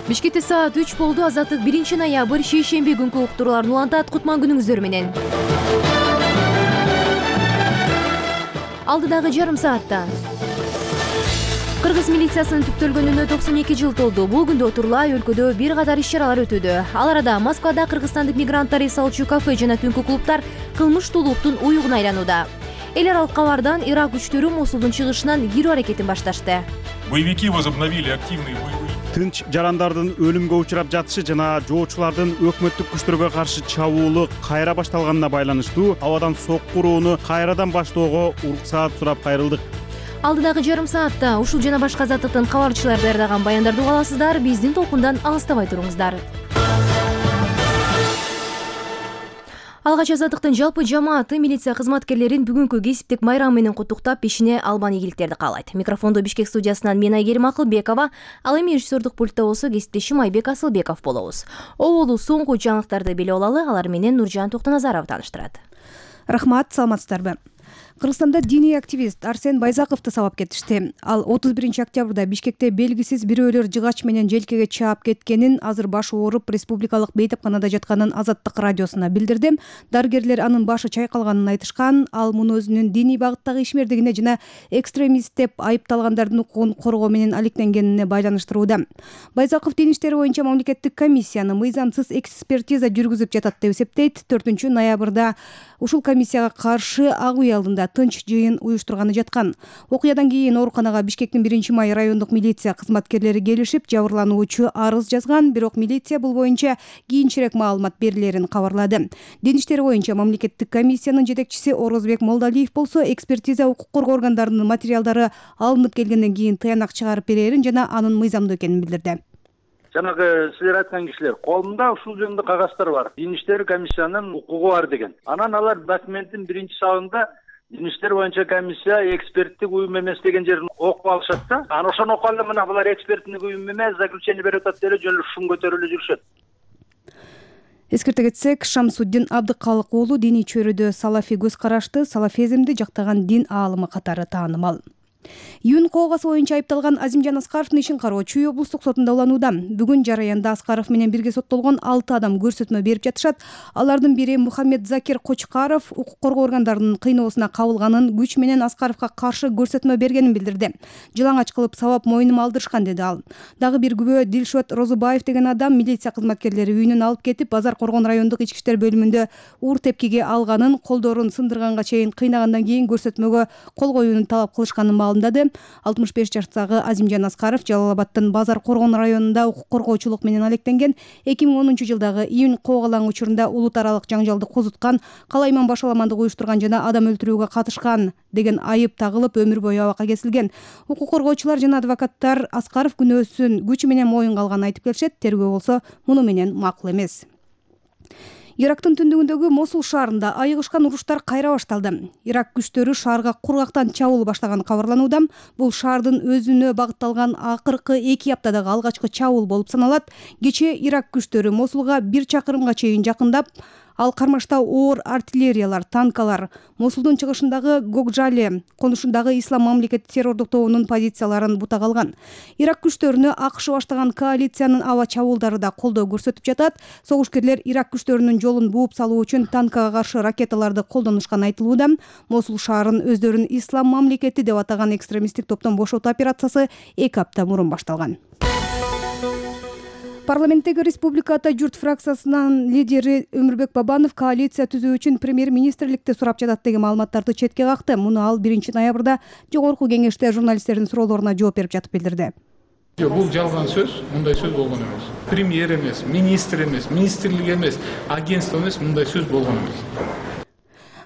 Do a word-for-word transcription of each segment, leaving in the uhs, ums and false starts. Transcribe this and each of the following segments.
Бишкекте саат үч болду. Азаттык биринчи ноябрь шейшемби күнкү уктурууларын улантат. Кутман күнүңүздөр менен. Алдыдагы жарым саатта Кыргыз милициясынын түптөлгөнүнө токсон эки жыл толду. Бул күндө Турулай өлкөдө бир катар иш-чаралар өтүүдө. Ал арада Москвада кыргызстандык мигранттар эс алчу кафе жана түнкү клубтар кылмыштуулуктун уюгуна айланууда. Эл аралык кабардан Ирак күчтөрү Мосулдун чыгышынан кирүү аракетин башташты. Боевики возобновили активные боевые. Тынч жарандардын өлүмгө учурап жатышы жана жоочулардын өкмөттүк күчтөргө каршы чабуулу кайра башталганына байланыштуу абадан сокку урууну кайрадан баштоого уруксаат сурап кайрылдык. Алдыдагы жарым саатта ушул жана башка азаттыктын кабарчылары даярдаган баяндарды уга аласыздар. Биздин толкундан алыстабай туруңуздар. Алгач азаттыктын жалпы жамааты милиция кызматкерлерин бүгүнкү кесиптик майрам менен куттуктап, ишине албан ийгиликтерди каалайт. Микрофондо Бишкек студиясынан мен Айгерим Акылбекова, ал эми режиссердук пультта болсо кесиптешим Айбек Асылбеков болобуз. Оболу соңку жаңылыктарды билип алалы, алар менен Нуржан Токтоназаров тааныштырат. Рахмат, саламатсыздарбы? Кыргызстанда диний активист Арсен Байзаковду сабап кетишти. Ал отуз биринчи октябрда Бишкекте белгисиз бирөөлөр жыгач менен желкеге чаап кеткенин, азыр башы ооруп республикалык бейтапканада жатканын Азаттык радиосуна билдирди. Дарыгерлер анын башы чайкалганын айтышкан. Ал муну өзүнүн диний багыттагы ишмердигине жана экстремист деп айыпталгандардын укугун коргоо менен алектенгенине байланыштырууда. Байзаков дин иштери боюнча мамлекеттик комиссияны мыйзамсыз экспертиза жүргүзүп жатат деп эсептейт. төртүнчү ноябрда ушул комиссияга каршы Ак үй алдында тынч жыйын уюштурганы жаткан. Окуядан кийин ооруканага Бишкектин биринчи май райондук милиция кызматкерлери келишип, жабырлануучу арыз жазган, бирок милиция бул боюнча кийинчерээк маалымат берилерин кабарлады. Дин иштери боюнча мамлекеттик комиссиянын жетекчиси Орозбек Молдалиев болсо, экспертиза укук коргоо органдарынын материалдары алынып келгенден кийин тыянак чыгарып берерин жана анын мыйзамдуу экенин билдирди. Жанагы силер айткан кишилер колунда ушул жөнүндө кагаздар бар. Дин иштери комиссиянын укугу бар деген. Анан алар документтин биринчи сабагында дин иштери боюнча комиссия эксперттик уюм эмес деген жерин окуп алышат да. Анан ошону окуп алып мына булар эксперттик уюм эмес, заключение берип атат деле жөн эле шум көтөрүлүп жүрүшөт. Эскерте кетсек, Шамсуддин Абдыкалык уулу диний чөйрөдө салафи көз карашты, салафизмди жактаган дин аалымы катары таанымал. Июнь коогасы боюнча айыпталган Азимжан Аскаровдун ишин кароо Чүй облустук сотунда уланууда. Бүгүн жараянда Аскаров менен бирге соттолгон алты адам көрсөтмө берип жатышат. Алардын бири Мухаммед Закир Кочкаров укук коргоо органдарынын кыйноосуна кабылганын, күч менен Аскаровго каршы көрсөтмө бергенин билдирди. Жылаңач кылып сабап мойнума алдырышкан, деди ал. Дагы бир күбө Дилшот Розубаев деген адам милиция кызматкерлери үйүнөн алып кетип, Базар Коргон райондук ички иштер бөлүмүндө уур тепкиге алганын, колдорун сындырганга чейин кыйнагандан кийин көрсөтмөгө кол коюуну талап кылышканын маалымдады. алтымыш беш жаштагы Азимжан Аскаров Жалал Абадтын Базар Коргон районунда укук коргоочулук менен алектенген. эки миң онунчу жылдагы июнь коогалаң учурунда улут аралык жаңжалды козуткан, калайман башаламандык уюштурган жана адам өлтүрүүгө катышкан деген айып тагылып, өмүр бою абакка кесилген. Укук коргоочулар жана адвокаттар Аскаров күнөөсүн күч менен моюнга алганын айтып келишет. Тергөө болсо муну менен макул эмес. Ирактын түндүгүндөгү Мосул шаарында айыгышкан уруштар кайра башталды. Ирак күчтөрү шаарга кургактан чабуул баштаганы кабарланууда. Бул шаардын өзүнө багытталган акыркы эки аптадагы алгачкы чабуул болуп саналат. Кечээ Ирак күчтөрү Мосулга бир чакырымга чейин жакындап, ал кармашта оор артиллериялар, танкалар, Мосулдун чыгышындагы Гокжали конушундагы Ислам мамлекети террордук тобунун позицияларын бутак алган. Ирак күчтөрүнө АКШ баштаган коалициянын аба чабуулдары да колдоо көрсөтүп жатат. Согушкерлер Ирак күчтөрүнүн жолун бууп салуу үчүн танкага каршы ракеталарды колдонушканы айтылууда. Мосул шаарын өздөрүн Ислам мамлекети деп атаган экстремисттик топтон бошотуу операциясы эки апта мурун башталган. Парламенттеги Республика Ата журт фракциясынын лидери Өмүрбек Бабанов коалиция түзүү үчүн премьер-министрликти сурап жатат деген маалыматтарды четке какты. Муну ал биринчи ноябрда жогорку кеңеште журналисттердин суроолоруна жооп берип жатып билдирди. Бул жалган сөз, мындай сөз болгон эмес. Премьер эмес, министр эмес, министрлик эмес, агентство эмес, мындай сөз болгон эмес.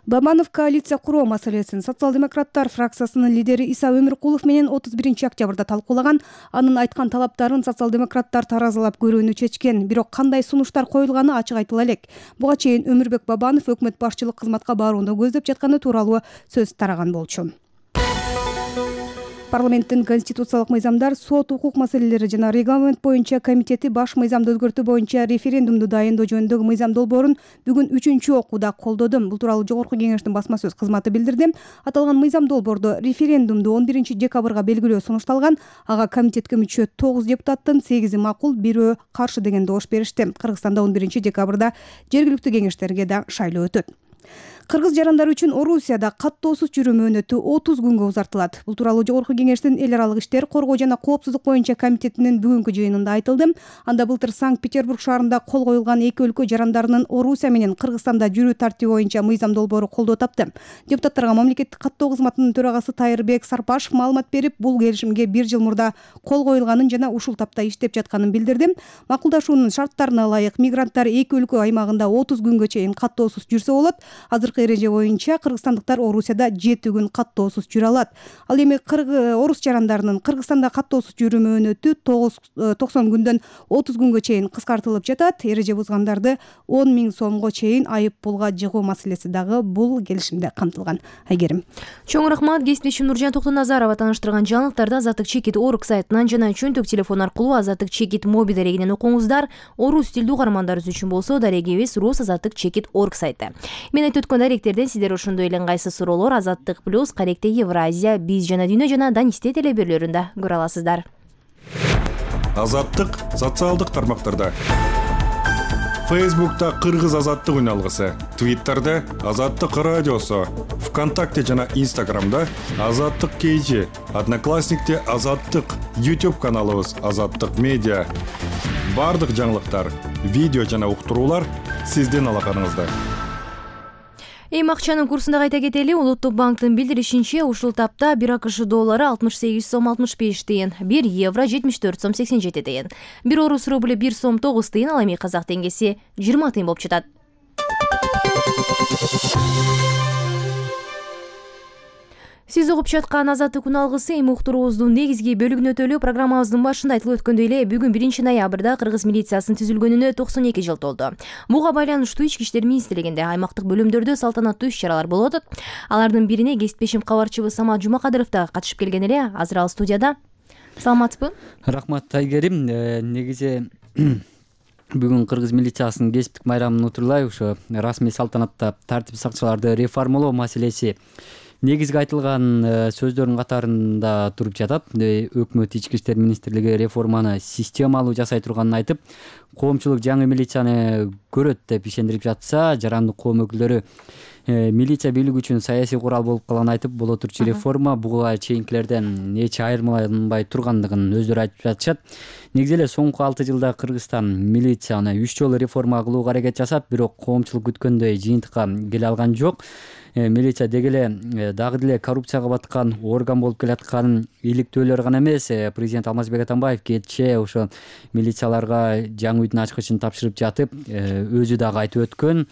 Бабанов коалиция куруу маселесин социал-демократтар фракциясынын лидери Иса Өмүркулов менен отуз биринчи октябрда талкуулаган. Анын айткан талаптарын социал-демократтар таразалап көрүүнү чечкен, бирок кандай сунуштар коюлганы ачык айтыла элек. Буга чейин Өмүрбек Бабанов өкмөт башчылык кызматка барууну көздөп жатканы тууралуу сөз тараган болчу. Парламенттин конституциялык мыйзамдар, сот, укук маселелери жана регламент боюнча комитети баш мыйзамды өзгөртүү боюнча референдумду дайындоо жөнүндөгү мыйзам долбоорун бүгүн үчүнчү окууда колдоду. Бул тууралуу Жогорку Кеңештин басма сөз кызматы билдирди. Аталган мыйзам долбоордо референдумду он биринчи декабрга белгилөө сунушталган. Ага комитетке мүчө тогуз депутаттын сегизи макул, бирөө каршы деген добуш беришти. Кыргызстанда он биринчи декабрда жергиликтүү кеңештерге да шайлоо өтөт. Кыргыз жарандары үчүн Орусияда каттоосуз жүрүү мөөнөтү отуз күнгө узартылат. Бул тууралуу Жогорку Кеңештин эл аралык иштер, коргоо жана коопсуздук боюнча комитетинин бүгүнкү жыйынында айтылды. Анда былтыр Санкт-Петербург шаарында кол коюлган эки өлкө жарандарынын Орусия менен Кыргызстанда жүрүү тартиби боюнча мыйзам долбоору колдоо тапты. Депутаттарга мамлекеттик каттоо кызматынын төрагасы Тайырбек Сарпашев маалымат берип, бул келишимге бир жыл мурда кол коюлганын жана ушул тапта иштеп жатканын билдирди. Макулдашуунун шарттарына ылайык мигранттар эки өлкө аймагында отуз күнгө чейин каттоосуз жүрсө болот. Азыркы эреже боюнча кыргызстандыктар Орусияда жети күн каттоосуз жүрө алат. Ал эми орус жарандарынын Кыргызстанда каттоосуз жүрүү мөөнөтү токсон күндөн отуз күнгө чейин кыскартылып жатат. Эреже бузгандарды он миң сомго чейин айып пулга жыгуу маселеси дагы бул келишимде камтылган. Айгерим. Чоң рахмат. Кесиптешим Нуржан Токтоназарова тааныштырган жаңылыктарды Азаттык чекит орг сайтынан жана чөнтөк телефон аркылуу Азаттык чекит мобил дарегинен окуңуздар. Орус тилдүү угармандарыбыз үчүн болсо дарегибиз рус Азаттык чекит орг сайты. Мен айтып өткөн даректерден сиздер ошондой эле ыңгайсыз суроолор Азаттык плюс, Каректе Евразия, Биз жана Дүйнө жана Данисте телеберлөрүндө көрө аласыздар. Азаттык социалдык тармактарда. Фейсбукта Кыргыз Азаттык үналгысы, Твиттерде Азаттык радиосу, ВКонтакте жана Инстаграмда Азаттык кейжи, Одноклассникте Азаттык, YouTube каналыбыз Азаттык медиа. Бардык жаңылыктар, видео жана уктуруулар сиздин алаканыңызда. Эми акчанын курсунда кайта кетели. Улуттук банктын билдиришинче, ушул тапта бир АКШ доллары алтымыш сегиз сом алтымыш беш тыйын, бир евро жетимиш төрт сом сексен жети тыйын, бир орус рубль бир сом тогуз тыйын, ал эми казак теңгеси жыйырма тыйын болуп жатат. Сиз угуп жаткан Азаттык үналгысы эми уктуруубуздун негизги бөлүгүнө өтөлү. Программабыздын башында айтылып өткөндөй эле, бүгүн биринчи ноябрда Кыргыз милициясынын түзүлгөнүнө токсон эки жыл толду. Буга байланыштуу Ички иштер министрлигинде аймактык бөлүмдөрдө салтанаттуу иш-чаралар болуп атат. Алардын бирине кесиптешим кабарчыбыз Самат Жумакадыров да катышып келген эле. Азыр ал студияда. Саламатсызбы? Рахмат, Айгерим. Негизи бүгүн Кыргыз милициясынын кесиптик майрамын утурлай ошо расмий салтанатта тартип сакчыларды реформалоо маселеси негизги айтылган сөздөрдүн катарында туруп жатат. Өкмөт Ички иштер министрлиги реформаны системалуу жасай турганын айтып, коомчулук жаңы милицияны көрөт деп ишендирип жатса, жарандык коом өкүлдөрү милиция бийлиги үчүн саясий курал болуп калганын айтып, боло турчу реформа буга чейинкилерден эч айырмаланбай тургандыгын өздөрү айтып жатышат. Негизи эле соңку алты жылда Кыргызстан милицияны үч жолу реформа кылууга аракет жасап, бирок коомчулук күткөндөй жыйынтыкка келе алган жок. Милиция деги эле дагы деле коррупцияга баткан орган болуп келатканын иликтөөлөр гана эмес, президент Алмазбек Атамбаев кечээ ошо милицияларга жаңы үйдүн ачкычын тапшырып жатып, өзү дагы айтып өткөн.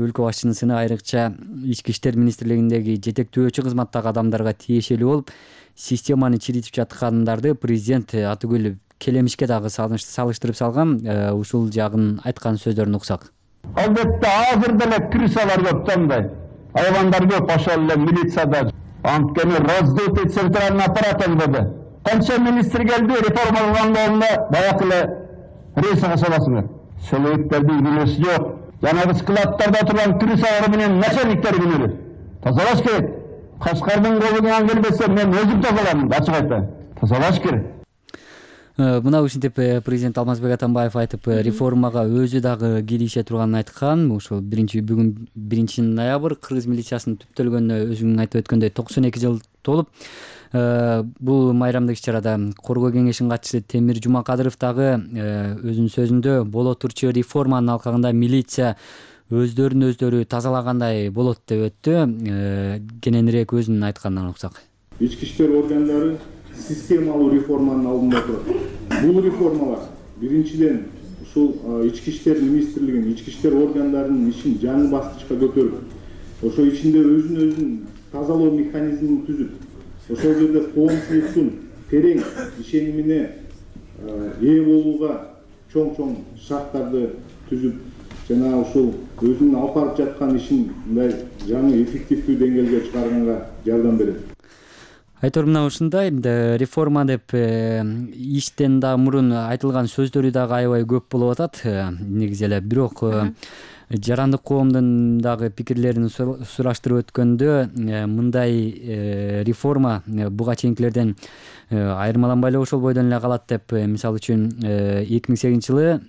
Өлкө башчынын сыны айрыкча Ички иштер министрлигиндеги жетектөөчү кызматтагы адамдарга тиешелүү болуп, системаны чиритип жаткандарды президент Атыгүл Келемишке дагы салыштырып салган. Ушул жагын айткан сөздөрүн уксак. Албетте азыр деле крысалар көп тандай. Айвандар көп ошол эле милицияда. Анткени раздутый центральный аппарат өңдөдү. Канча министр келди, реформа кылганда баягы эле рейсиге саласыңар. Шелектердин күнөөсү жок. Жанагы складтарда турган крысалар менен начальниктер күнөөлөт. Тазалаш керек. Кашкардын колунан келбесе мен өзүм тазалайм, ачык айтайын. Тазалаш керек. Мына ушинтип президент Алмазбек Атамбаев айтып, реформага өзү дагы кирише турганын айткан. Ошол биринчи бүгүн биринчи ноябрь Кыргыз милициясынын түптөлгөнүнө өзүң айтып өткөндөй токсон эки жыл толуп, бул майрамдык иш-чарада коргоо кеңешинин катчысы Темир Жумакадыров дагы өзүнүн сөзүндө боло турчу реформанын алкагында милиция өздөрүн өздөрү тазалагандай болот деп өттү. Кененирээк өзүнүн айтканынан уксак. Ички иштер органдары системалуу реформанын алдында турат. Бул реформалар биринчиден ушул Ички иштер министрлигинин, ички иштер органдарынын ишин жаңы баскычка көтөрүп, ошо ичинде өзүн өзүн тазалоо механизмин түзүп, ошол жерде коомчулуктун терең ишенимине ээ болууга чоң-чоң шарттарды түзүп, жана ушул өзүнүн алып барып жаткан ишин мындай жаңы эффективдүү деңгээлге чыгарганга жардам берет. айтор мына ушундай реформа деп иштен да мурун айтылган сөздөрү дагы аябай көп болуп атат негизи эле. Бирок жарандык коомдун дагы пикирлерин сураштырып өткөндө мындай реформа буга чейинкилерден айырмаланбай эле ошол бойдон эле калат деп, мисалы үчүн эки миң сегизинчи жылы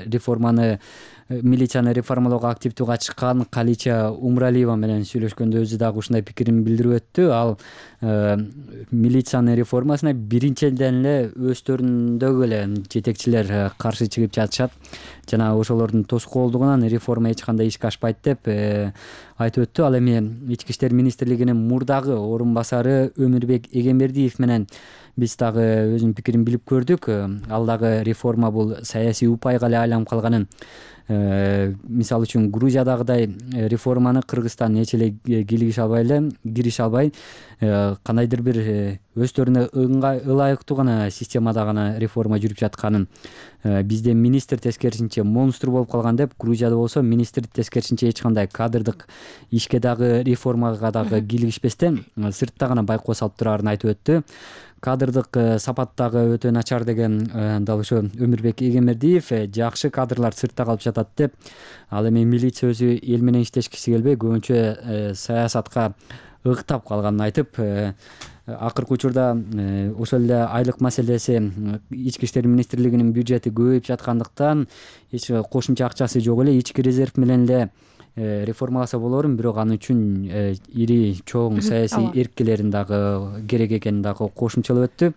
реформаны милицияны реформалоого активдүү катышкан Калича Умралиева менен сүйлөшкөндө өзү дагы ушундай пикирин билдирип өттү. Ал милициянын реформасына биринчиден эле өздөрүндөгү эле жетекчилер каршы чыгып жатышат жана ошолордун тоскоолдугунан реформа эч кандай ишке ашпайт деп айтып өттү. Ал эми Ички иштер министрлигинин мурдагы орун басары Өмүрбек Эгембердиев менен биз дагы өзүнүн пикирин билип көрдүк. Ал дагы реформа бул саясий упайга эле айланып калганын, мисалы үчүн Грузиядагыдай реформаны Кыргызстан эч эле кийлигише албай эле кирише албай кандайдыр бир өздөрүнө ылайыктуу гана системада гана реформа жүрүп жатканын, бизде министр тескерисинче монстр болуп калган деп, Грузияда болсо министр тескерисинче эч кандай кадрдык ишке дагы реформага дагы кийлигишпестен сыртта гана байкоо салып турарын айтып өттү. Кадрдык сапат дагы өтө начар деген дал ошо Өмүрбек Эгембердиев, жакшы кадрлар сыртта калып жатат деп. Ал эми милиция өзү эл менен иштешкиси келбей көбүнчө саясатка ыктап калганын айтып, акыркы учурда ошол эле айлык маселеси, Ички иштер министрлигинин бюджети көбөйүп жаткандыктан эч кошумча акчасы жок эле, ички резерв менен эле реформаласа болорун, бирок аны үчүн ири чоң саясий эрккелерин дагы керек экенин дагы кошумчалап өттү.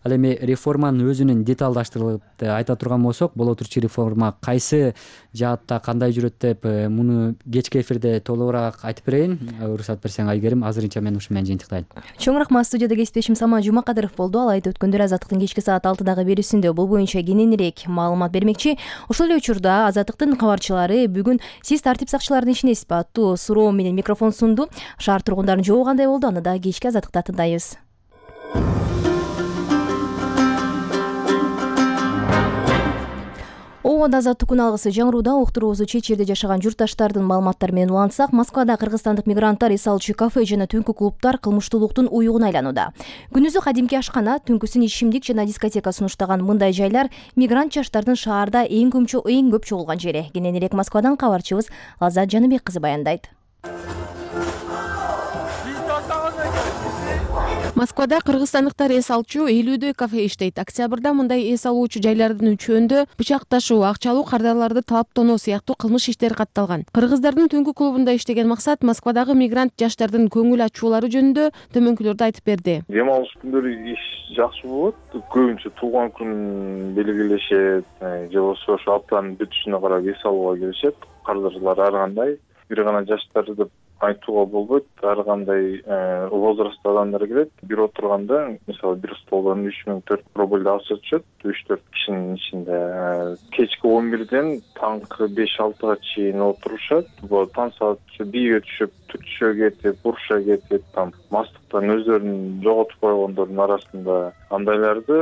Ал эми реформанын өзүнүн деталдаштырылып айта турган болсок, боло турчу реформа кайсы жаатта кандай жүрөт деп муну кечки эфирде толугураак айтып берейин. Уруксат берсең Айгерим, азырынча мен ушу менен жыйынтыктайын. Чоң рахмат. Студияда кесиптешим Самат Жумакадыров болду. Ал айтып өткөндөр Азаттыктын кечки саат алтыдагы берүүсүндө бул боюнча кененирээк маалымат бермекчи. Ошол эле учурда Азаттыктын кабарчылары бүгүн сиз тартип сакчыларын ишинесизби аттуу суроо менен микрофон сунду. Шаар тургундарынын жообу кандай болду? Аны да кечки Азаттыкта тыңдайбыз. Обода азаттык күн алгысы жаңырууда уктуруубузду чет жерде жашаган журтташтардын маалыматтары менен улантсак, Москвада кыргызстандык мигранттар эс алуучу кафе жана түнкү клубдар кылмыштуулуктун уюгуна айланууда. Күнүзү кадимки ашкана, түнкүсүн ичимдик жана дискотека сунуштаган мындай жайлар мигрант жаштардын шаарда эң көмчө эң көп чогулган жери. Кененирээк Москвадан кабарчыбыз Лаззат Жаныбек кызы баяндайт. Москвада кыргызстандыктар эс алчу элүүдөй кафе иштейт. Октябрда мындай эс алуучу жайлардын үчөөндө бычак ташуу, акча алуу, кардарларды талаптонуу сыяктуу кылмыш иштери катталган. Кыргыздардын түнкү клубунда иштеген максат Москвадагы мигрант жаштардын көңүл ачуулары жөнүндө төмөнкүлөрдү айтып берди. Дем алыш күндөрү иш жакшы болот. Көбүнчө туулган күн белгилешет, же болбосо ошо аптанын бүтүшүнө карап эс алууга келишет. Кардарлар ар кандай, бир гана жаштар деп айтууга болбойт. Ар кандай возрастта адамдар келет. Бир отурганда, мисалы, бир столдон үч миң төрт рубль акча түшөт, үч төрт кишинин ичинде. Кечки он бирден таңкы беш алтыга чейин отурушат. Бул таң саат бийге түшүп, түтүшө кетип, уруша кетип, там мастыктан өздөрүн жоготуп койгондордун арасында андайларды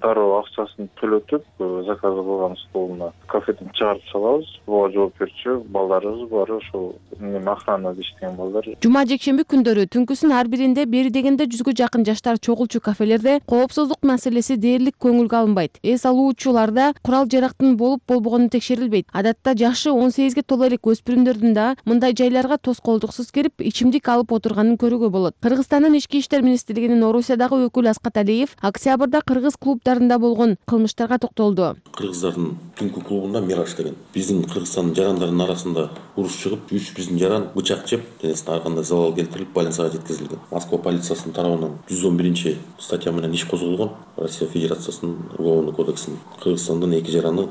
дароо акчасын төлөтүп, заказ кылган столуна кафеден чыгарып салабыз. Буга жооп берчү балдарыбыз бар, ошол эме охранада иштеген балдар. Жума жекшемби күндөрү түнкүсүн ар биринде бери дегенде жүзгө жакын жаштар чогулчу кафелерде коопсуздук маселеси дээрлик көңүлгө алынбайт. Эс алуучуларда курал жарактын болуп болбогону текшерилбейт. Адатта жашы он сегизге толо элек өспүрүмдөрдүн да мындай жайларга тоскоолдуксуз кирип, ичимдик алып отурганын көрүүгө болот. Кыргызстандын Ички иштер министрлигинин Орусиядагы өкүлү Аскат Алиев октябрда кыргыз клубдарында болгон кылмыштарга токтолду. Кыргыздардын түнкү клубунда Мираж деген биздин Кыргызстандын жарандарынын арасында уруш чыгып, үч биздин жаран бычак жеп, денесине ар кандай залал келтирилип, больницага жеткизилген. Москва полициясынын тарабынан жүз он биринчи статья менен иш козголгон. Россия Федерациясынын уголовный кодексинин Кыргызстандын эки жараны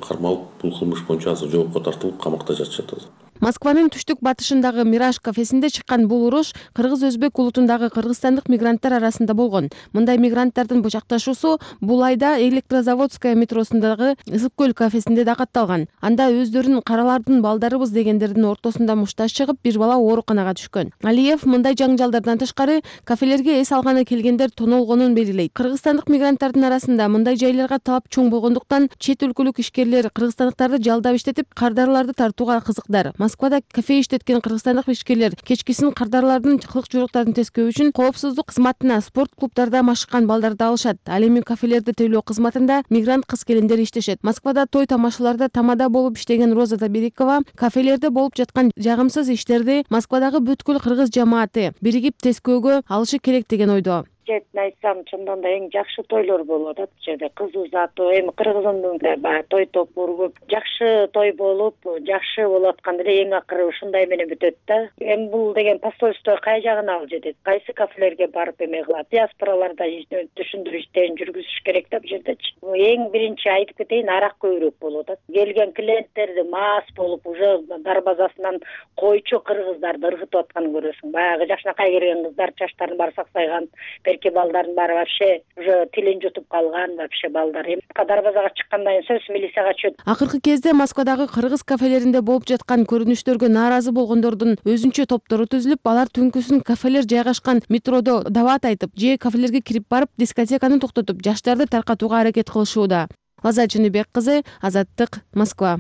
кармалып, бул кылмыш боюнча азыр жоопко тартылып, камакта жатышат. Москванын түштүк батышындагы Мираж кафесинде чыккан бул уруш кыргыз-өзбек улутундагы кыргызстандык мигранттар арасында болгон. Мындай мигранттардын бычакташуусу бул айда Электрозаводская метросундагы Ысык көл кафесинде да катталган. Анда өздөрүн каралардын балдарыбыз дегендердин ортосунда мушташ чыгып, бир бала ооруканага түшкөн. Алиев мындай жаңжалдардан тышкары кафелерге эс алганы келгендер тонолгонун белгилейт. Кыргызстандык мигранттардын арасында мындай жайларга талап чоң болгондуктан чет өлкөлүк ишкерлер кыргызстандыктарды жалдап иштетип, кардарларды тартууга кызыктар. Москвада кафе иштеткен кыргызстандык ишкерлер кечкисин кардарлардын кылык жуйруктарын тескөө үчүн коопсуздук кызматына спорт клубдарда машыккан балдарды алышат. Ал эми кафелерди тейлөө кызматында мигрант кыз-келиндер иштешет. Москвада той тамашаларда тамада болуп иштеген Роза Таберикова кафелерде болуп жаткан жагымсыз иштерди Москвадагы бүткүл кыргыз жамааты биригип тескөөгө алышы керек деген ойдо. Четин айтсам, чындан да эң жакшы тойлор болуп атат бул жерде. Кыз узатуу, эми кыргызымдын баягы той топуру көп. Жакшы той болуп, жакшы болуп атканда эле эң акыры ушундай менен бүтөт да. Эми бул деген посольство кай жагына алып жетет? Кайсы кафелерге барып эме кылат? Диаспораларда түшүндүрүү иштерин жүргүзүш керек да бул жердечи. Эң биринчи айтып кетейин, арак көбүрөөк болуп атат. Келген клиенттерди мас болуп, уже дарбазасынан койчу кыргыздарды ыргытып атканын көрөсүң. Баягы жакшынакай келген кыздар чачтарын баары саксайган, берки балдардын баары вообще уже тилин жутуп калган вообще балдар. Эми дарбазага чыккандан кийин сөз милицияга чөт. Акыркы кезде Москвадагы кыргыз кафелеринде болуп жаткан көрүнүштөргө нааразы болгондордун өзүнчө топтору түзүлүп, алар түнкүсүн кафелер жайгашкан метродо дават айтып, же кафелерге кирип барып, дискотеканы токтотуп, жаштарды таркатууга аракет кылышууда. Лаза Чыныбек кызы, Азаттык, Москва.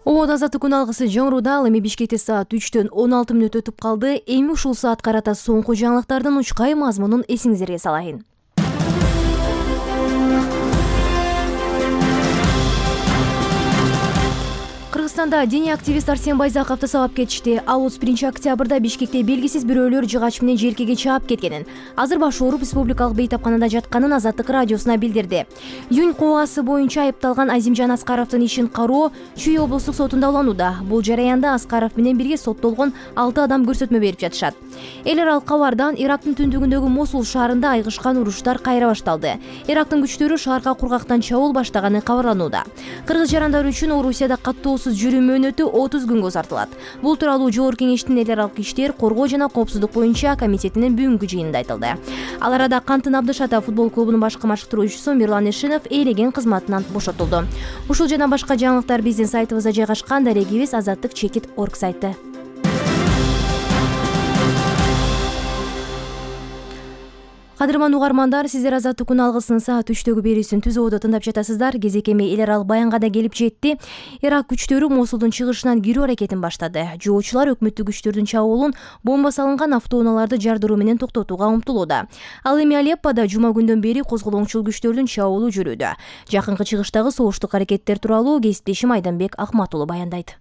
Ободо азаттык күн алгысы жаңырууда. Ал эми Бишкекте саат үчтөн он алты мүнөт өтүп калды. Эми ушул саат карата соңку жаңылыктардын учкай мазмунун эсиңиздерге салайын. Кыргызстанда диний активист Арсен Байзаковду сабап кетишти. Ал отуз биринчи октябрда Бишкекте белгисиз бирөөлөр жыгач менен желкеге чаап кеткенин, азыр башы ооруп республикалык бейтапканада жатканын Азаттык радиосуна билдирди. Июнь кылмышы боюнча айыпталган Азимжан Аскаровдун ишин кароо Чүй облустук сотунда уланууда. Бул жараянда Аскаров менен бирге соттолгон алты адам көрсөтмө берип жатышат. Эл аралык кабардан Ирактын түндүгүндөгү Мосул шаарында айгышкан уруштар кайра башталды. Ирактын күчтөрү шаарга кургактан чабуул баштаганы кабарланууда. Кыргыз жарандары үчүн Орусияда каттоосуз жүрүү мөөнөтү отуз күнгө узартылат. Бул тууралуу Жогорку Кеңештин эл аралык иштер, коргоо жана коопсуздук боюнча комитетинин бүгүнкү жыйынында айтылды. Ал арада Кантын Абдышата футбол клубунун башкы машыктыруучусу Мирлан Эшинов ээлеген кызматынан бошотулду. Ушул жана башка жаңылыктар биздин сайтыбызда жайгашкан. Дарегибиз азаттык чекит точка орг сайты. Кадырман угармандар, сиздер азаттык күн алгысынын саат үчтөгү берүүсүн Түз Ободо тыңдап жатасыздар. Кезекеме эл аралык баянга да келип жетти. Ирак күчтөрү Мосулдун чыгышынан кирүү аракетин баштады. Жоочулар өкмөттүк күчтөрдүн чабуулун бомба салынган автоунааларды жардыруу менен токтотууга умтулууда. Ал эми Алеппода жума күндөн бери козголоңчул күчтөрдүн чабуулу жүрүүдө. Жакынкы чыгыштагы согуштук аракеттер тууралуу кесиптешим Айданбек Акматулу баяндайт.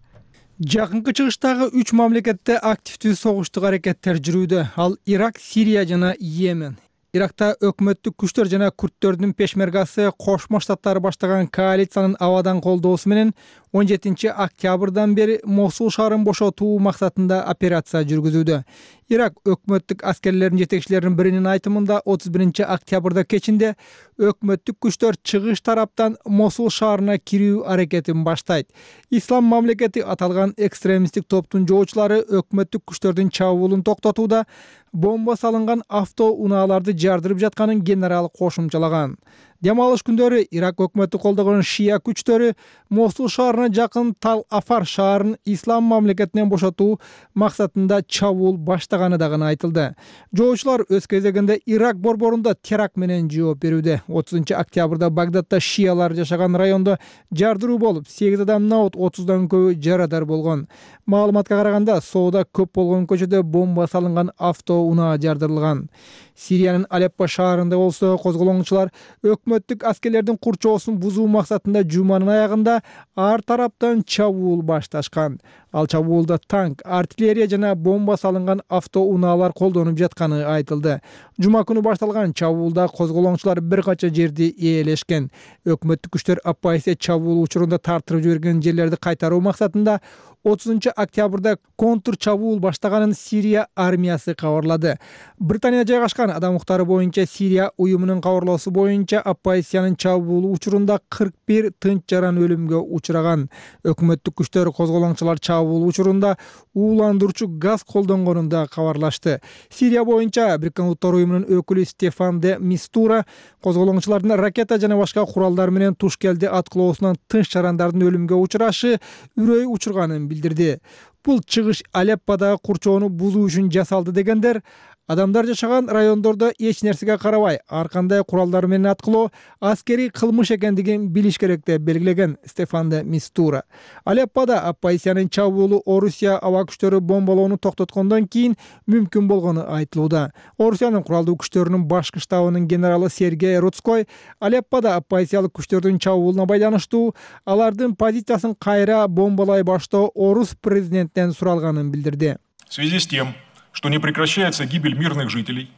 Жакынкы чыгыштагы үч мамлекетте активдүү согуштук аракеттер жүрүүдө. Ал Ирак, Сирия жана Йемен. Иракта өкмөттүк күчтөр жана күрттөрдүн пешмергасы Кошмо Штаттары баштаган коалициянын абадан колдоосу менен он жетинчи октябрдан бери Мосул шаарын бошотуу максатында операция жүргүзүүдө. Ирак өкмөттүк аскерлеринин жетекчилеринин биринин айтымында отуз биринчи октябрда кечинде өкмөттүк күчтөр чыгыш тараптан Мосул шаарына кирүү аракетин баштайт. Ислам мамлекети аталган экстремисттик топтун жоочулары өкмөттүк күчтөрдүн чабуулун токтотууда бомба салынган автоунааларды жардырып жатканын генерал кошумчалаган. Дем алыш күндөрү Ирак өкмөтү колдогон шия күчтөрү Мосул шаарына жакын Тал Афар шаарын ислам мамлекетинен бошотуу максатында чабуул баштаганы дагы айтылды. Жоочулар өз кезегинде Ирак борборунда теракт менен жооп берүүдө. отузунчу октябрда Багдадда шиялар жашаган райондо жардыруу болуп, сегиз адам наут, отуздан көбү жарадар болгон. Маалыматка караганда, соода көп болгон көчөдө бомба салынган автоунаа жардырылган. Сириянын Алеппо шаарында болсо козголоңчулар өкмөттүк аскерлердин курчоосун бузуу максатында жуманын аягында ар тараптан чабуул башташкан. Ал чабуулда танк, артиллерия жана бомба салынган автоунаалар колдонуп жатканы айтылды. Жума күнү башталган чабуулда козголоңчулар бир кача жерди ээлешкен. Өкмөттүк күчтөр оппозиция чабуул учурунда тартырып жиберген жерлерди кайтаруу максатында отузунчу октябрда контур чабуул баштаганын Сирия армиясы кабарлады. Британияда жайгашкан адам укуктары боюнча Сирия уюмунун кабарлоосу боюнча оппозициянын чабуулу учурунда кырк бир тынч жаран өлүмгө учураган. Өкмөттүк күчтөр козголоңчулар чабуул учурунда ууландыруучу газ колдонгонун да кабарлашты. Сирия боюнча Бириккен Улуттар уюмунун өкүлү Стефан де Мистура козголоңчулардын ракета жана башка куралдар менен туш келди аткылоосунан тынч жарандардын өлүмгө учурашы үрөй учурганын билдирди. Бул чыгыш Алепподагы курчоону бузуу үчүн жасалды дегендер Адамдар жашаган райондордо эч нерсеге карабай ар кандай куралдар менен аткылоо аскерий кылмыш экендигин билиш керек деп белгилеген Стефан де Мистура. Алеппода оппозициянын чабуулу Орусия аба күчтөрү бомбалоону токтоткондон кийин мүмкүн болгону айтылууда. Орусиянын куралдуу күчтөрүнүн башкы штабынын генералы Сергей Рудской Алеппода оппозициялык күчтөрдүн чабуулуна байланыштуу алардын позициясын кайра бомбалай баштоо Орус президенттен суралганын билдирди. В связи с тем, что не прекращается гибель мирных жителей,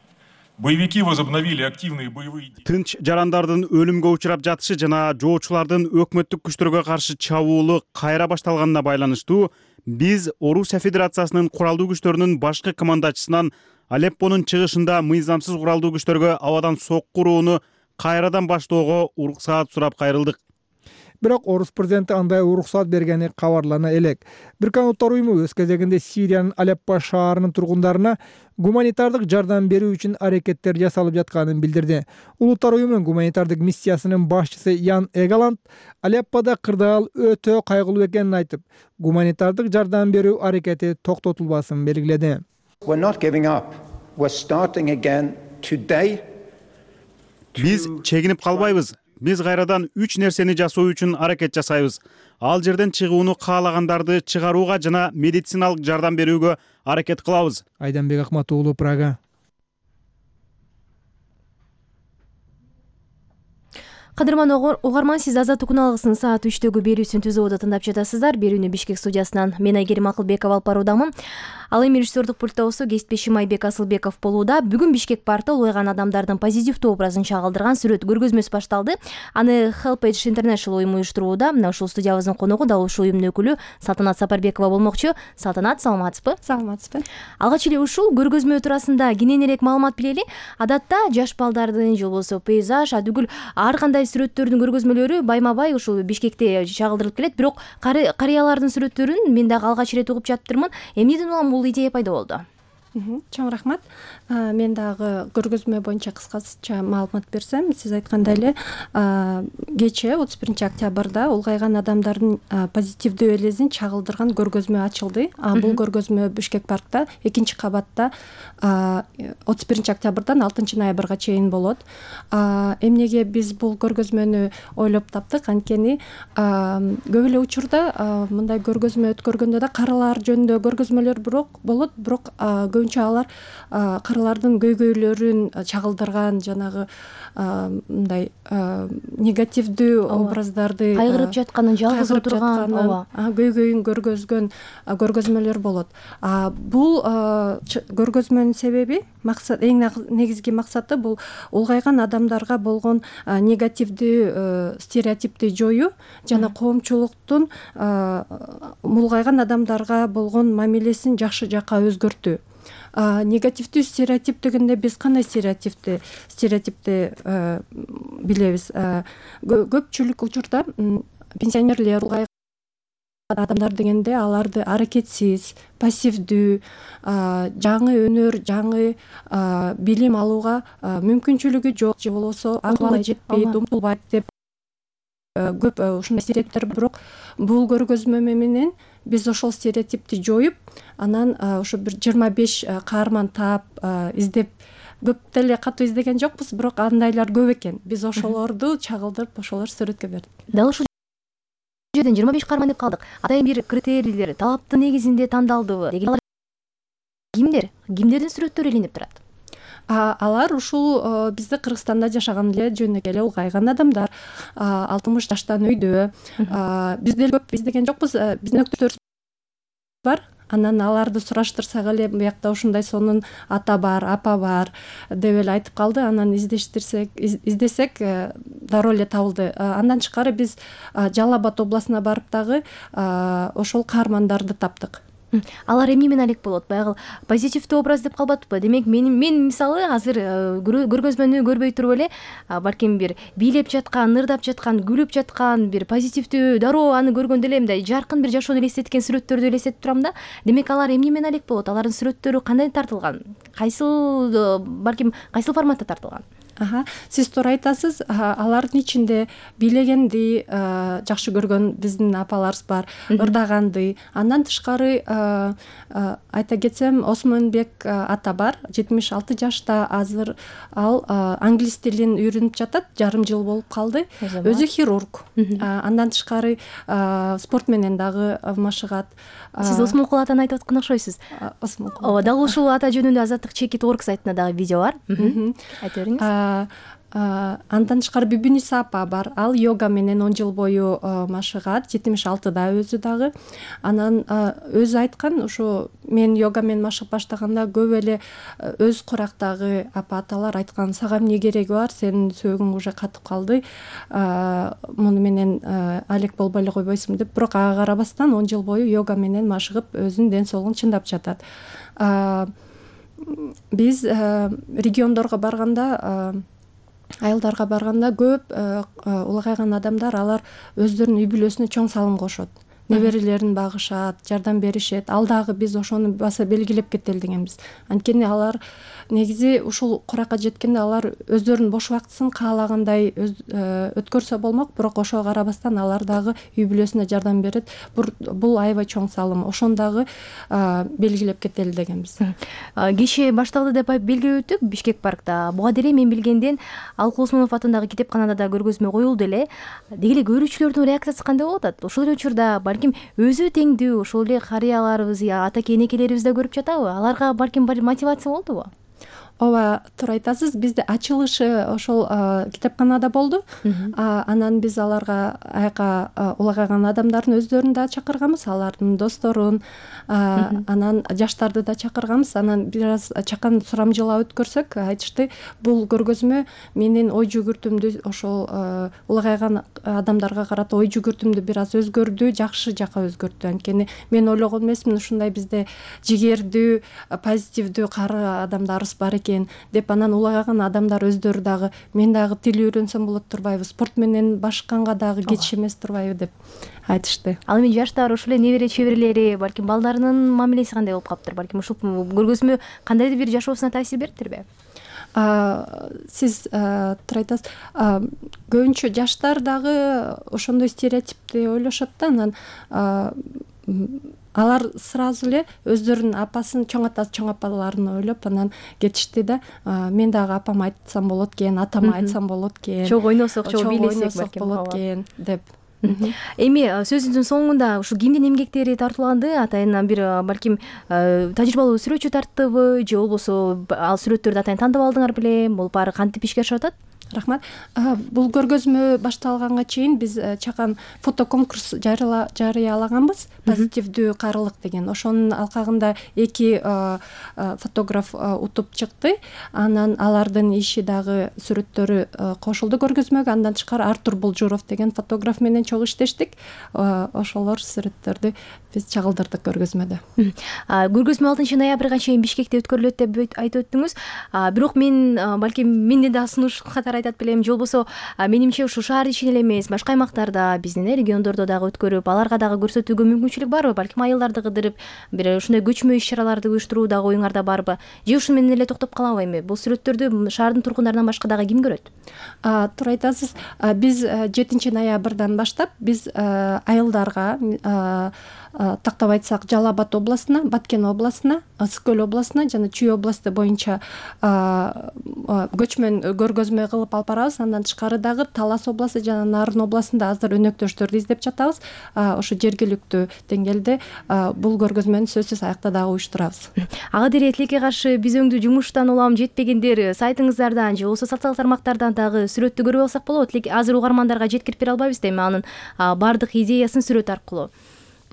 боевики возобновили активные боевые действия. Тынч жарандардын өлүмгө учурап жатышы жана жоочулардын өкмөттүк күчтөргө каршы чабуулу кайра башталганына байланыштуу биз Орусия Федерациясынын куралдуу күчтөрүнүн башкы командачысынан Алеппонун чыгышында мыйзамсыз куралдуу күчтөргө абадан сокку урууну кайрадан баштоого уруксаат сурап кайрылдык. Бирок Орус президенти андай уруксаат бергени кабарлана элек. Бириккен Улуттар уюму өз кезегинде Сириянын Алеппо шаарынын тургундарына гуманитардык жардам берүү үчүн аракеттер жасалып жатканын билдирди. Улуттар уюмунун гуманитардык миссиясынын башчысы Ян Эгаланд Алеппода кырдаал өтө кайгылуу экенин айтып, гуманитардык жардам берүү аракети токтотулбасын белгиледи. Биз чегинип калбайбыз. Биз кайрадан үч нерсени жасоо үчүн аракет жасайбыз. Ал жерден чыгууну каалагандарды чыгарууга жана медициналык жардам берүүгө аракет кылабыз. Айданбек Акмат уулу, Прага. Кадырман угарман, сиз Азаттык күналыгысынын саат үчтөгү берүүсүн түзүүдө тыңдап жатасыздар. Берүүнү Бишкек студиясынан мен Айгерим Акылбекова алып баруудамын. Ал эми режиссердук пультта болсо кесиптешим Айбек Асылбеков болууда. Бүгүн Бишкек паркта улгайган адамдардын позитивдүү образын чагылдырган сүрөт көргөзмөсү башталды. Аны Helpage International уюму уюштурууда. Мына ушул студиябыздын коногу дал ушул уюмдун өкүлү Салтанат Сапарбекова болмокчу. Салтанат, саламатсызбы? Саламатсызбы. Алгач эле ушул көргөзмө туурасында кененирээк маалымат билели. Адатта жаш балдардын же болбосо пейзаж, адүгүл ар кандай сүрөттөрдүн көргөзмөлөрү байма-бай ушул Бишкекте чагылдырылып келет. Бирок карыялардын сүрөттөрүн мен дагы алгач ирет угуп жатыптырмын. Эмнеден улам бул идея пайда болду? Чоң рахмат. Мен дагы көргөзмө боюнча кыскача маалымат берсем, сиз айткандай эле кечээ отуз биринчи октябрда улгайган адамдардын позитивдүү элесин чагылдырган көргөзмө ачылды. Бул көргөзмө Бишкек паркта экинчи кабатта отуз биринчи октябрдан алтынчы ноябрга чейин болот. Эмнеге биз бул көргөзмөнү ойлоп таптык? Анткени көп эле учурда мындай көргөзмө өткөргөндө да карылар жөнүндө көргөзмөлөр бирок болот, бирок көбүнчө алар карылардын көйгөйлөрүн чагылдырган, жанагы мындай негативдүү образдарды кайгырып жатканын, жалгыз отурган, ооба, көйгөйүн көргөзгөн көргөзмөлөр болот. Бул көргөзмөнүн себеби, максат, эң негизги максаты бул улгайган адамдарга болгон негативдүү стереотипти жоюу жана коомчулуктун улгайган адамдарга болгон мамилесин жакшы жакка өзгөртүү. Негативдүү стереотип дегенде биз кандай стереотипти стереотипти билебиз? Көпчүлүк учурда пенсионерлер, улгайган адамдар дегенде аларды аракетсиз, пассивдүү, жаңы өнөр, жаңы билим алууга мүмкүнчүлүгү жок же болбосо акылы жетпейт, умтулбайт деп көп ушундай стереотиптер. Бирок бул көргөзмө менен биз ошол стереотипти жоюп, анан ушу бир жыйырма беш каарман таап, издеп, көп деле катуу издеген жокпуз, бирок андайлар көп экен. Биз ошолорду чагылдырып, ошолор сүрөткө бердик. Дал ушул жерден жыйырма беш каарман деп калдык. Атайын бир критерийлер, талаптын негизинде тандалдыбы? Кимдер? Кимдердин сүрөттөрү илинип турат? Алар ушул бизде Кыргызстанда жашаган эле жөнөкөй эле улгайган адамдар, алтымыш жаштан өйдө. Биз деле көп издеген жокпуз, биздин өктөштөрүбүз бар. Анан аларды сураштырсак эле биякта ушундай сонун ата бар, апа бар деп эле айтып калды. Анан издештирсек, издесек дароо эле табылды. Андан тышкары биз Жалал Абад областына барып дагы ошол каармандарды таптык. Алар эмне менен алек болот? Баягы позитивдүү образ деп калбатпы? Демек, мен мен мисалы азыр көргөзмөнү көрбөй туруп эле, балким бир бийлеп жаткан, ырдап жаткан, күлүп жаткан, бир позитивдүү, дароо аны көргөндө эле мындай жаркын бир жашоону элестеткен сүрөттөрдү элестетип турам да. Демек, алар эмне менен алек болот? Алардын сүрөттөрү кандай тартылган? Кайсыл, балким кайсыл форматта тартылган? Ага, сиз туура айтасыз. Алардын ичинде бийлегенди жакшы көргөн биздин апаларыбыз бар, ырдаганды. Андан тышкары айта кетсем, Осмонбек ата бар, жетимиш алты жашта. Азыр ал англис тилин үйрөнүп жатат, жарым жыл болуп калды. Өзү хирург. Андан тышкары спорт менен дагы машыгат. Сиз Осмонкул атаны айтып аткан окшойсуз. Осмонкул. Ооба, дагы ушул ата жөнүндө Азаттык чекит орг сайтында дагы видео бар. Айта бериңиз. Андан тышкары Бүбүниса апа бар. Ал йога менен он жыл бою машыгат, жетимиш алтыда өзү дагы. Анан өзү айткан, ушу мен йога менен машыгып баштаганда көп эле өз курактагы апа аталар айткан, сага эмне кереги бар, сенин сөөгүң уже катып калды, муну менен алек болбой эле койбойсуңбу деп. Бирок ага карабастан он жыл бою йога менен машыгып өзүнүн ден соолугун чындап жатат. Биз региондорго барганда, айылдарга барганда көп улагайган адамдар, алар өздөрүнүн үй бүлөсүнө чоң салым кошот. Неберелерин багышат, жардам беришет. Ал дагы биз ошону баса белгилеп кетели дегенбиз. Анткени алар негизи ушул куракка жеткенде алар өздөрүнүн бош убактысын каалагандай өткөрсө болмок, бирок ошого карабастан алар дагы үй бүлөсүнө жардам берет. Бул аябай чоң салым. Ошону дагы белгилеп кетели дегенбиз. Кеше башталды деп белгилеп өттүк Бишкек паркта. Буга дейин мен билгенден Алкул Осмонов атындагы китепканада да көргөзмө коюлду эле. Деги эле көрүүчүлөрдүн реакциясы кандай болуп атат? Ошол эле учурда балким өзү теңдүү ошол эле карыяларыбыз, атаке энекелерибиз да көрүп жатабы? Аларга балким бир мотивация болдубу? Ооба, туура айтасыз. Бизде ачылышы ошол китепканада болду. Анан биз аларга аяка улагайган адамдардын өздөрүн да чакырганбыз, алардын досторун, анан жаштарды да чакырганбыз. Анан бир аз чакан сурамжылаа өткөрсөк, айтышты, бул көргөзмө менин ой жүгүртүмдү, ошол улагайган адамдарга карата ой жүгүртүмдү бир аз өзгөрдү, жакшы жака өзгөрттү. Анткени мен ойлогон эмесмин, ушундай бизде жигердүү, позитивдүү кары адамдарыбыз бар экен деп. Анан улагайган адамдар өздөрү дагы мен дагы тил үйрөнсөм болот турбайбы, спорт менен башканга дагы кеч эмес турбайбы деп айтышты. Ал эми жаштар, ошол эле небере чеберлери, балким балдарынын мамилеси кандай болуп калыптыр? Балким ушул көргөзмө кандайдыр бир жашоосуна таасир бериптирби? Сиз туура айтасыз. Көбүнчө жаштар дагы ошондой стереотипти ойлошот да. Анан алар сразу эле өздөрүнүн апасын, чоң атасы, чоң апаларын ойлоп анан кетишти да. Мен дагы апама айтсам болот экен, атама айтсам болот экен, чогуу ойносок, чогуу бийлесек балким болот экен деп. Эми сөзүңүздүн соңунда ушул кимдин эмгектери тартууланды? Атайын бир балким тажрыйбалуу сүрөтчү тарттыбы, же болбосо ал сүрөттөрдү атайын тандап алдыңар беле? Бул баары кантип ишке ашып атат? Рахмат. Бул көргөзмө башталганга чейин биз чакан фотоконкурс жарыялаганбыз, позитивдүү карылык деген. Ошонун алкагында эки фотограф утуп чыкты. Анан алардын иши дагы сүрөттөрү кошулду көргөзмөгө. Андан тышкары Артур Булжуров деген фотограф менен чогуу иштештик. Ошолор сүрөттөрдү биз чагылдырдык көргөзмөдө. Көргөзмө алтынчы ноябрга чейин Бишкекте өткөрүлөт деп айтып өттүңүз. Бирок мен балким менден да сунуш катары айтат белем, же болбосо менимче ушул шаар ичинде эле эмес, башка аймактарда, биздин региондордо дагы өткөрүп, аларга дагы көрсөтүүгө мүмкүнчүлүк барбы? Балким айылдарды кыдырып, бир ушундай көчмө иш-чараларды уюштуруу дагы оюңарда барбы? Же ушуну менен эле токтоп калабы эми? Бул сүрөттөрдү шаардын тургундарынан башка дагы ким көрөт? Туура айтасыз. Биз жетинчи ноябрдан баштап биз айылдарга, тактап айтсак, Жалал Абад областына, Баткен областына, Ысык Көл областына жана Чүй областы боюнча көчмөн көргөзмө кылып алып барабыз. Андан тышкары дагы Талас областы жана Нарын областында азыр өнөктөштөрдү издеп жатабыз. Ошо жергиликтүү деңгээлде бул көргөзмөнү сөзсүз аякта дагы уюштурабыз. Ага дере тилекке каршы биз өңдүү жумуштан улам жетпегендер сайтыңыздардан же болбосо социалдык тармактардан дагы сүрөттү көрүп алсак болот. Азыр угармандарга жеткирип бере албайбыз да, эми анын баардык идеясын сүрөт аркылуу.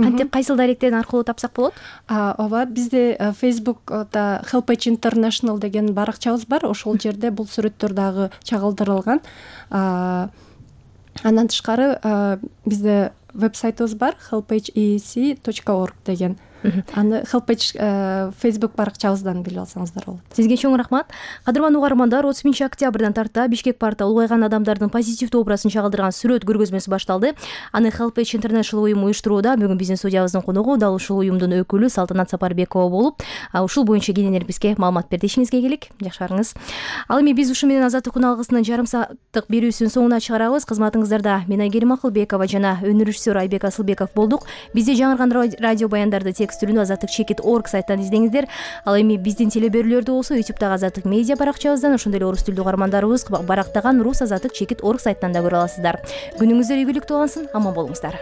Кантип, кайсыл даректен аркылуу тапсак болот? Ооба, бизде Facebook'та Helpage International деген баракчабыз бар. Ошол жерде бул сүрөттөр дагы чагылдырылган. Андан тышкары бизде веб-сайтыбыз бар, helpage e c точка org деген. аны хелпеч фейсбук баракчабыздан билип алсаңыздар болот. Сизге чоң рахмат. Кадырман угармандар, отуз биринчи октябрдан тарта Бишкек паркта улгайган адамдардын позитивдүү образын чагылдырган сүрөт көргөзмөсү башталды. Аны Helpage International уюму уюштурууда. Бүгүн биздин студиябыздын коногу дал ушул уюмдун өкүлү Салтанат Сапарбекова болуп, ушул боюнча кененирээк бизге маалымат берди. Ишиңизге келик. Жакшы барыңыз. Ал эми биз ушу менен Азаттык күн алгысынын жарым сааттык берүүсүнүн соңуна чыгарабыз. Кызматыңыздарда мен Айгерим Акылбекова жана өнөр режиссеру Айбек Асылбеков болдук. Бизде жаңырган радио баяндарды текст түрүндө азаттык чекит точка орг сайттан издеңиздер. Ал эми биздин телеберүүлөрдү болсо ютубтагы Азаттык медиа баракчабыздан, ошондой эле орус тилдүү угармандарыбыз барактаган рус азаттык чекит точка орг сайттан да көрө аласыздар. Күнүңүздөр ийгиликтүү улансын, аман болуңуздар.